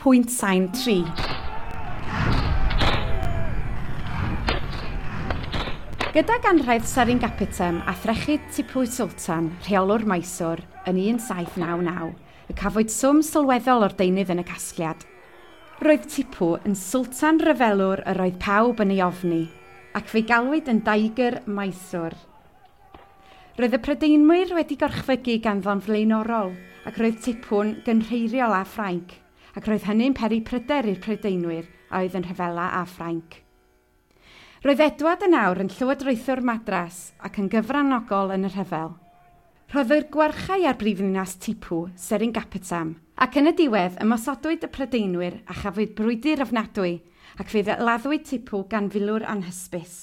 pwynt sain 3. Gydag anrhaith Seringapatam a threchu Tipu Sultan, rheolwr Mysore, yn 1799, y cafwyd swm sylweddol o'r deunydd yn y casgliad. Roedd Tipu yn sultan ryfelwr yr oedd pawb yn ei ofni, ac fe'i galwyd yn Daigr Mysore. Roedd y Prydeinwyr wedi gorchfygu ganddo'n flaenorol ac roedd Tipu'n gynrheiriol â Ffrainc, ac roedd hynny'n peri pryder i'r Prydeinwyr a oedd yn rhyfela â Ffrainc. Roedd Edward yn awr yn llywodraethwr Madras ac yn gyfranogol yn y rhyfel. Rhoddwyd gwarchau ar brifddinas Tipu, Seringapatam, ac yn y diwedd ymosodwyd y Prydeinwyr a chafwyd brwydr ofnadwy ac fe laddwyd Tipu gan filwr anhysbys.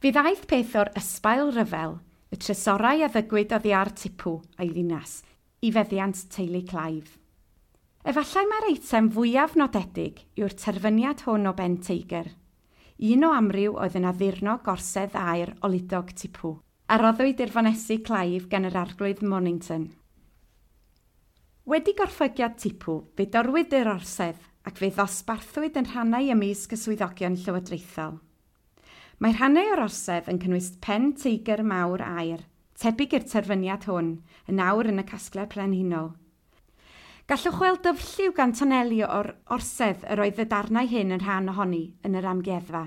Fe ddaeth peth o'r ysbail ryfel, y trysorau a ddygwyd oddi ar Tipu a'i ddinas, i feddiant teulu Clive. Efallai mae'r eitem fwyaf nodedig yw'r terfyniad hwn o ben teigr, un o amryw oedd yn addurno gorsedd aur oludog Tipu, a roddwyd i'r Fonesig Clive gan yr arglwydd Mornington. Wedi gorffygiad Tipu, fe dorwyd yr orsedd ac fe ddosbarthwyd yn rhannau ymysg y swyddogion llywodraethol. Mae rhannau o'r orsedd yn cynnwys pen teigr mawr aur, tebyg i'r terfyniad hwn, yn awr yn y casgliad brenhinol. Gallwch weld dyfrlliw gan toneli o'r orsedd yr oedd y darnau hyn yn rhan ohoni yn yr amgueddfa.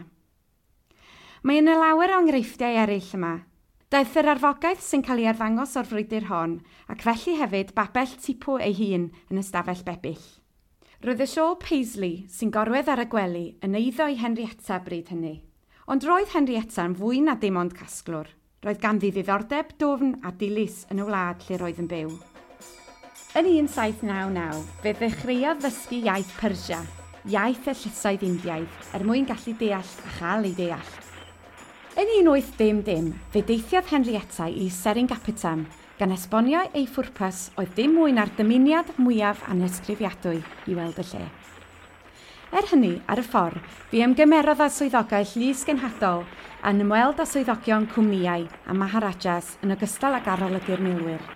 Mae yna lawer o enghreifftiau eraill yma. Daeth yr arfogaeth sy'n cael ei arddangos o'r frwydr hon, ac felly hefyd babell Tipu ei hun yn ystafell bebyll. Roedd y siôl Paisley sy'n gorwedd ar y gwely yn eiddo i Henrietta bryd hynny. Ond roedd Henrietta'n fwy na dim ond casglwr. Roedd ganddi ddiddordeb dwfn a dilys yn y wlad lle roedd yn byw. Yn 1799, fe ddechreuodd ddysgu iaith Persia, iaith y llysoedd Indiaidd, er mwyn gallu deall a chael ei deall. Yn 1800, fe deithiodd Henrietta i Seringapatam, gan esbonio ei phwrpas oedd dim mwy na'r dymuniad mwyaf anhysgrifiadwy i weld y lle. Er hynny, ar y ffordd, fe ymgymerodd â swyddogaeth llys genhadol a'n ymweld â swyddogion cwmnïau a Maharajas yn ogystal ag arolygu'r milwyr.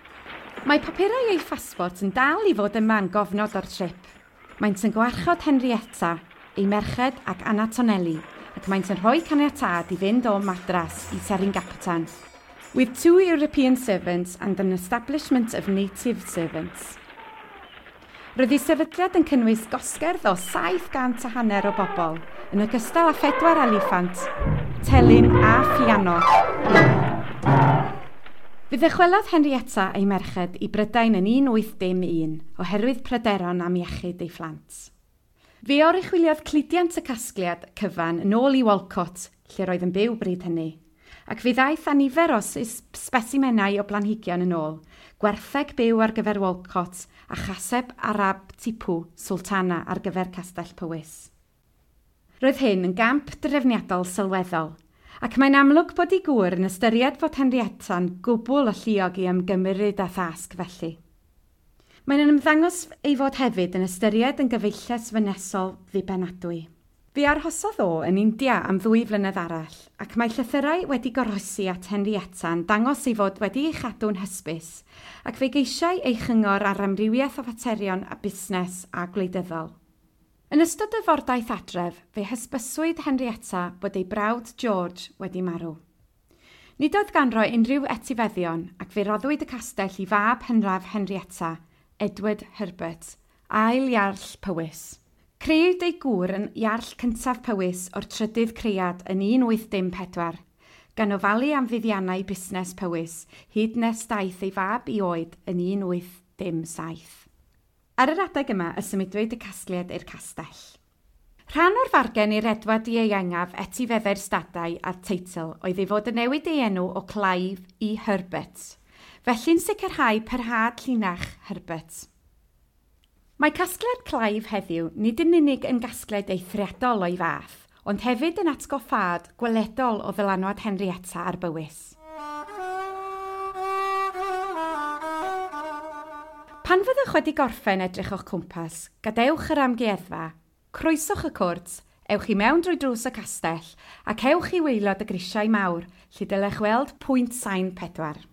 Mae papurau ei phasbort yn dal i fod yma'n gofnod o'r trip. Maent yn gwarchod Henrietta, ei merched ac Anna Tonelli, ac maent yn rhoi caniatâd i fynd o Madras i Seringapatam. With 2 European servants and an establishment of native servants. Roedd ei sefydliad yn cynnwys gosgerdd o 750 o bobl, yn ogystal â 4 eliffant, telyn a phiano. Fe ddychwelodd Henrietta ei merched i Brydain yn 1801 oherwydd pryderon am iechyd ei phlant. Fe oruchwyliodd cludiant y casgliad cyfan yn ôl i Walcott, lle roedd yn byw bryd hynny, ac fe ddaeth â nifer o sbesimenau o blanhigion yn ôl, gwertheg byw ar gyfer Walcott a chaseb Arab Tipu Sultana ar gyfer Castell Powys. Roedd hyn yn gamp drefniadol sylweddol, ac mae'n amlwg bod ei gŵr yn ystyried fod Henrietta'n gwbl alluog i ymgymryd â thasg felly. Mae'n ymddangos ei fod hefyd yn ystyried yn gyfeilles fynesol ddibenadwy. Fe arhosodd o yn India am 2 flynedd arall, ac mae llythyrau wedi goroesi at Henrietta'n dangos ei fod wedi ei chadw'n hysbys, ac fe geisiai ei chyngor ar amrywiaeth o faterion a busnes a gwleidyddol. Yn ystod y fordaith adref, fe hysbyswyd Henrietta bod ei brawd George wedi marw. Nid oedd ganddo unrhyw etifeddion ac fe roddwyd y castell i fab hynraf Henrietta, Edward Herbert, ail Iarll Powys. Crëwyd ei gŵr yn Iarll cyntaf Powys o'r trydydd cread yn 1804, gan ofalu am fuddiannau busnes Powys hyd nes daeth ei fab i oed yn 1807. Ar yr adeg yma y symudwyd y casgliad i'r castell. Rhan o'r fargen i'r Edward ieuengaf etifeddau'r stadau a'r teitl oedd ei fod yn newid ei enw o Clive i Herbert, felly'n sicrhau parhad llinach Herbert. Mae casgliad Clive heddiw nid yn unig yn gasgliad eithriadol o'i fath, ond hefyd yn atgoffâd gweledol o ddylanwad Henrietta ar Bywys. Pan fyddwch wedi gorffen edrych o'ch cwmpas, gadewch yr amgueddfa, croeswch y cwrt, ewch i mewn drwy drws y castell ac ewch i waelod y grisiau mawr, lle dylech weld pwynt sain 4.